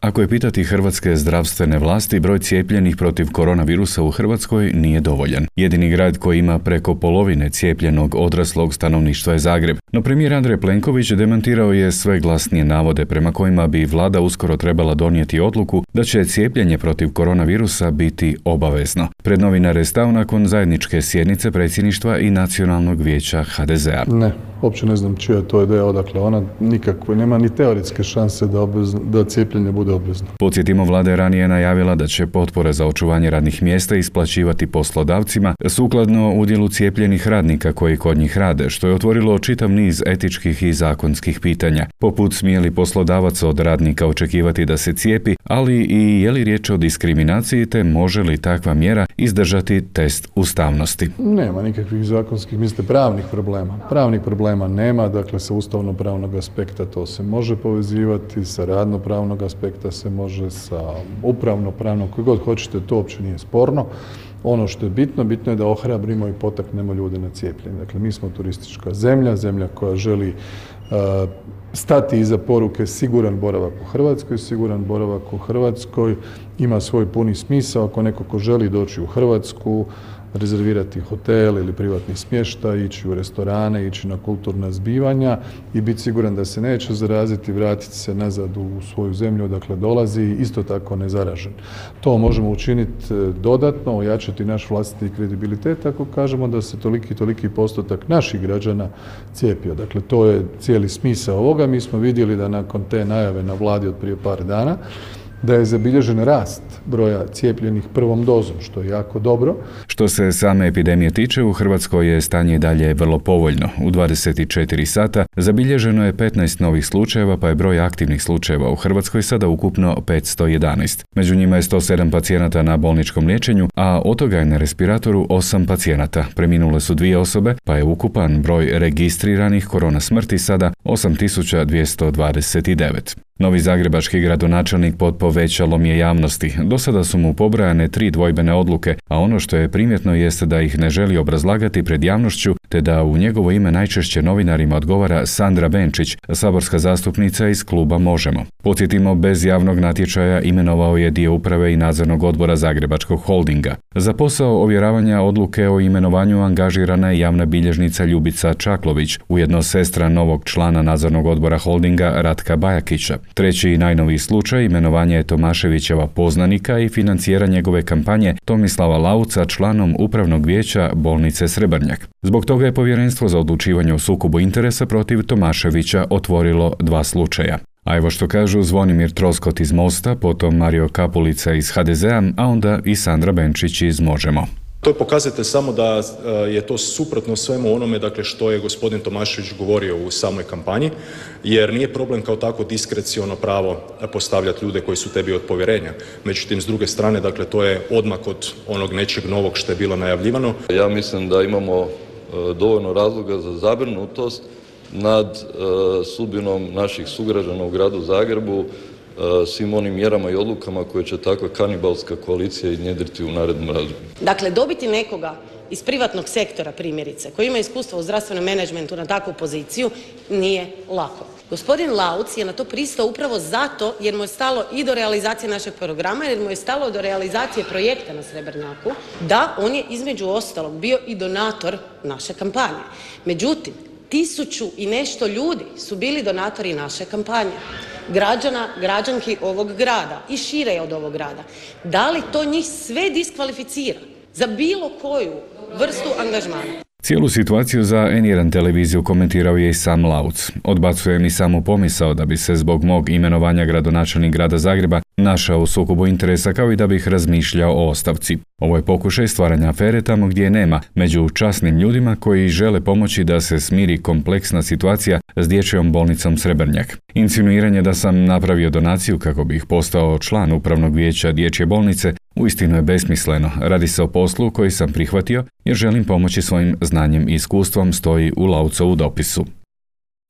Ako je pitati hrvatske zdravstvene vlasti, broj cijepljenih protiv koronavirusa u Hrvatskoj nije dovoljan. Jedini grad koji ima preko polovine cijepljenog odraslog stanovništva je Zagreb. No premijer Andrej Plenković demantirao je sve glasnije navode prema kojima bi vlada uskoro trebala donijeti odluku da će cijepljenje protiv koronavirusa biti obavezno. Pred novinare je stao nakon zajedničke sjednice predsjedništva i Nacionalnog vijeća HDZ-a. Ne, uopće ne znam čija je to ideja, odakle ona nikakve, nema ni teoretske šanse da cijepljenje bude obvezno. Podsjetimo, vlada je ranije najavila da će potpore za očuvanje radnih mjesta isplaćivati poslodavcima sukladno udjelu cijepljenih radnika koji kod njih rade, što je otvorilo čitav niz etičkih i zakonskih pitanja, poput smije li poslodavac od radnika očekivati da se cijepi, ali i je li riječ o diskriminaciji te može li takva mjera izdržati test ustavnosti. Nema nikakvih zakonskih, mislite, pravnih problema. Pravnih problema nema, dakle sa ustavno-pravnog aspekta to se može povezivati, sa radno-pravnog aspekta se može, sa upravno-pravnog, koji god hoćete, to uopće nije sporno. Ono što je bitno je da ohrabrimo i potaknemo ljude na cijepljenje. Dakle, mi smo turistička zemlja koja želi stati iza poruke siguran boravak u Hrvatskoj. Siguran boravak u Hrvatskoj ima svoj puni smisao ako neko ko želi doći u Hrvatsku, rezervirati hotel ili privatni smještaj, ići u restorane, ići na kulturna zbivanja i biti siguran da se neće zaraziti, vratiti se nazad u svoju zemlju odakle dolazi, isto tako nezaražen. To možemo učiniti dodatno, ojačati naš vlastiti kredibilitet ako kažemo da se toliki postotak naših građana cijepio. Dakle, to je cijeli smisao ovoga. Mi smo vidjeli da nakon te najave na vladi od prije par dana da je zabilježen rast broja cijepljenih prvom dozom, što je jako dobro. Što se same epidemije tiče, u Hrvatskoj je stanje i dalje vrlo povoljno. U 24 sata zabilježeno je 15 novih slučajeva, pa je broj aktivnih slučajeva u Hrvatskoj sada ukupno 511. Među njima je 107 pacijenata na bolničkom liječenju, a od toga je na respiratoru 8 pacijenata. Preminule su 2 osobe, pa je ukupan broj registriranih korona smrti sada 8229. Novi zagrebački gradonačelnik pod povećalom je javnosti. Do sada su mu pobrojane 3 dvojbene odluke, a ono što je primjetno jeste da ih ne želi obrazlagati pred javnošću, te da u njegovo ime najčešće novinarima odgovara Sandra Benčić, saborska zastupnica iz kluba Možemo. Podsjetimo, bez javnog natječaja imenovao je dio uprave i nadzornog odbora Zagrebačkog holdinga. Za posao ovjeravanja odluke o imenovanju angažirana je javna bilježnica Ljubica Čaklović, ujedno sestra novog člana nadzornog odbora holdinga Ratka Bajakića. Treći i najnoviji slučaj imenovanja je Tomaševićeva poznanika i financijera njegove kampanje Tomislava Lauca članom upravnog vijeća bolnice Srebrnjak. Zbog toga je Povjerenstvo za odlučivanje o sukobu interesa protiv Tomaševića otvorilo 2 slučaja. A evo što kažu Zvonimir Troskot iz Mosta, potom Mario Kapulica iz HDZ-a, a onda i Sandra Benčić iz Možemo. To je pokazatelj samo da je to suprotno svemu onome, dakle, što je gospodin Tomašević govorio u samoj kampanji, jer nije problem kao tako diskreciono pravo postavljati ljude koji su tebi od povjerenja. Međutim, s druge strane, dakle, to je odmak od onog nečeg novog što je bilo najavljivano. Ja mislim da imamo dovoljno razloga za zabrinutost nad sudbinom naših sugrađana u gradu Zagrebu, svim onim mjerama i odlukama koje će takva kanibalska koalicija iznjedriti u narednom razdoblju. Dakle, dobiti nekoga iz privatnog sektora, primjerice, koji ima iskustvo u zdravstvenom menadžmentu na takvu poziciju, nije lako. Gospodin Lauc je na to pristao upravo zato jer mu je stalo i do realizacije našeg programa, jer mu je stalo do realizacije projekta na Srebrnjaku, da on je između ostalog bio i donator naše kampanje. Međutim, 1000 i nešto ljudi su bili donatori naše kampanje. Građana, građanki ovog grada i šire od ovog grada. Da li to njih sve diskvalificira za bilo koju vrstu angažmana? Cijelu situaciju za N1 televiziju komentirao je i sam Lauc. Odbacuje mi samo pomisao da bi se zbog mog imenovanja gradonačelnik grada Zagreba našao u sukobu interesa, kao i da bih razmišljao o ostavci. Ovo je pokušaj stvaranja afere tamo gdje je nema, među časnim ljudima koji žele pomoći da se smiri kompleksna situacija s dječjom bolnicom Srebrnjak. Insinuiranje da sam napravio donaciju kako bih postao član upravnog vijeća dječje bolnice uistinu je besmisleno. Radi se o poslu koji sam prihvatio jer želim pomoći svojim znanjem i iskustvom, stoji u Laucovu dopisu.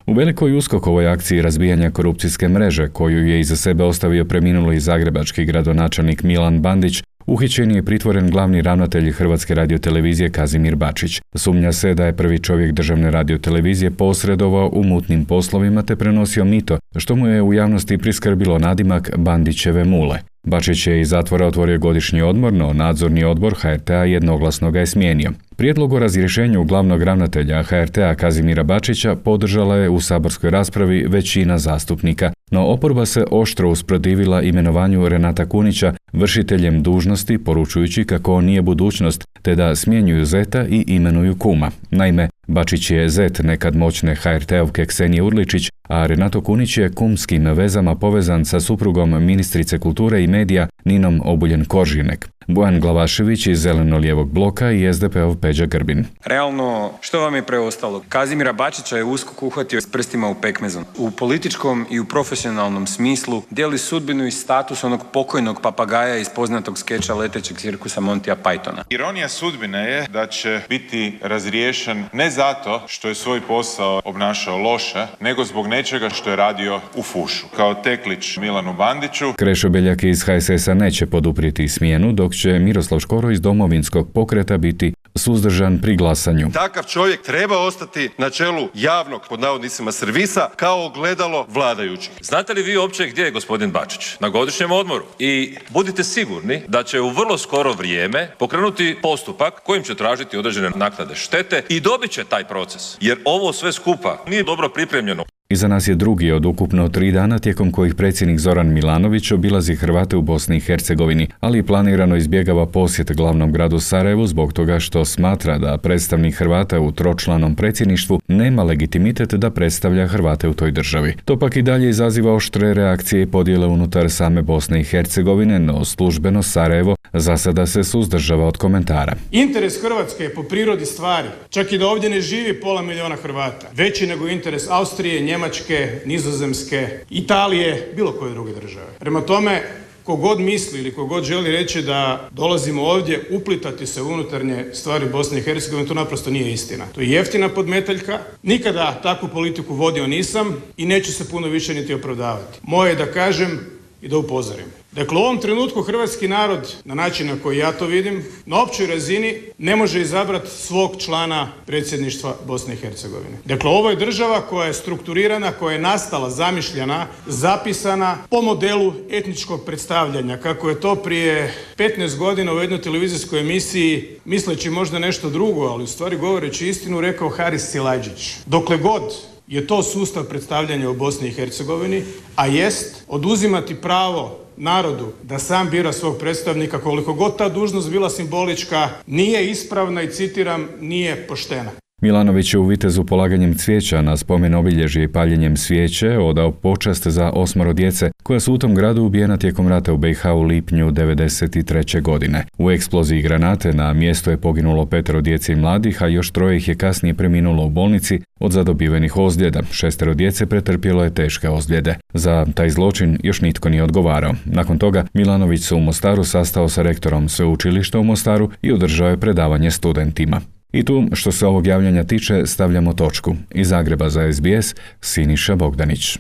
U velikoj USKOK-ovoj akciji razbijanja korupcijske mreže, koju je iza sebe ostavio preminuli zagrebački gradonačelnik Milan Bandić, uhićen je pritvoren glavni ravnatelj Hrvatske radiotelevizije Kazimir Bačić. Sumnja se da je prvi čovjek državne radiotelevizije posredovao u mutnim poslovima te prenosio mito, što mu je u javnosti priskrbilo nadimak Bandićeve mule. Bačić je iz zatvora otvorio godišnji odmor, no nadzorni odbor HRT-a jednoglasno ga je smijenio. Prijedlog o razrješenju glavnog ravnatelja HRT-a Kazimira Bačića podržala je u saborskoj raspravi većina zastupnika, no oporba se oštro usprotivila imenovanju Renata Kunića vršiteljem dužnosti, poručujući kako on nije budućnost, te da smjenjuju zeta i imenuju kuma. Naime, Bačić je zet nekad moćne HRT-ovke Ksenije Urličić, a Renato Kunić je kumskim vezama povezan sa suprugom ministrice kulture i medija Ninom Obuljen-Koržinek. Bojan Glavašević iz Zeleno-lijevog bloka i SDP-ov Peđa Grbin. Realno, što vam je preostalo? Kazimira Bačića je USKOK uhvatio s prstima u pekmezu. U političkom i u profesionalnom smislu dijeli sudbinu i status onog pokojnog papagaja iz poznatog skeča letećeg cirkusa Montija Pythona. Ironija sudbine je da će biti razriješen ne zato što je svoj posao obnašao loše, nego zbog nečega što je radio u fušu. Kao teklić Milanu Bandiću. Krešo Beljak iz HSS-a neće poduprijeti smjenu, dok će Miroslav Škoro iz Domovinskog pokreta biti suzdržan pri glasanju. Takav čovjek treba ostati na čelu javnog, pod navodnicima, servisa kao ogledalo vladajućih. Znate li vi uopće gdje je gospodin Bačić? Na godišnjem odmoru. I budite sigurni da će u vrlo skoro vrijeme pokrenuti postupak kojim će tražiti određene naknade štete i dobit će taj proces. Jer ovo sve skupa nije dobro pripremljeno. Iza nas je drugi od ukupno 3 dana tijekom kojih predsjednik Zoran Milanović obilazi Hrvate u Bosni i Hercegovini, ali planirano izbjegava posjet glavnom gradu Sarajevu zbog toga što smatra da predstavnik Hrvata u tročlanom predsjedništvu nema legitimitet da predstavlja Hrvate u toj državi. To pak i dalje izaziva oštre reakcije i podjele unutar same Bosne i Hercegovine, no službeno Sarajevo za sada se suzdržava od komentara. Interes Hrvatske je po prirodi stvari, čak i da ovdje ne živi 500 000 Hrvata, veći nego interes Austrije, Njemačke, Nizozemske, Italije, bilo koje druge države. Prema tome, kogod misli ili kogod želi reći da dolazimo ovdje uplitati se u unutarnje stvari Bosne i Hercegovine, to naprosto nije istina. To je jeftina podmetaljka, nikada takvu politiku vodio nisam i neću se puno više niti opravdavati. Moje je da kažem i da upozorim. Dakle, u ovom trenutku hrvatski narod, na način na koji ja to vidim, na općoj razini ne može izabrati svog člana predsjedništva Bosne i Hercegovine. Dakle, ovo je država koja je strukturirana, koja je nastala, zamišljena, zapisana po modelu etničkog predstavljanja, kako je to prije 15 godina u jednoj televizijskoj emisiji, misleći možda nešto drugo, ali u stvari govoreći istinu, rekao Haris Silajdžić. Dokle god je to sustav predstavljanja u Bosni i Hercegovini, a jest oduzimati pravo narodu da sam bira svog predstavnika, koliko god ta dužnost bila simbolička, nije ispravna i, citiram, nije poštena. Milanović je u Vitezu polaganjem cvijeća na spomen obilježje i paljenjem svijeće odao počast za 8 djece koja su u tom gradu ubijena tijekom rata u BiH u lipnju 1993. godine. U eksploziji granate na mjestu je poginulo 5 djece i mladih, a još 3 ih je kasnije preminulo u bolnici od zadobivenih ozljeda. 6 djece pretrpjelo je teške ozljede. Za taj zločin još nitko nije odgovarao. Nakon toga Milanović se u Mostaru sastao sa rektorom sveučilišta u Mostaru i održao je predavanje studentima. I tu, što se ovog javljanja tiče, stavljamo točku. Iz Zagreba za SBS, Siniša Bogdanić.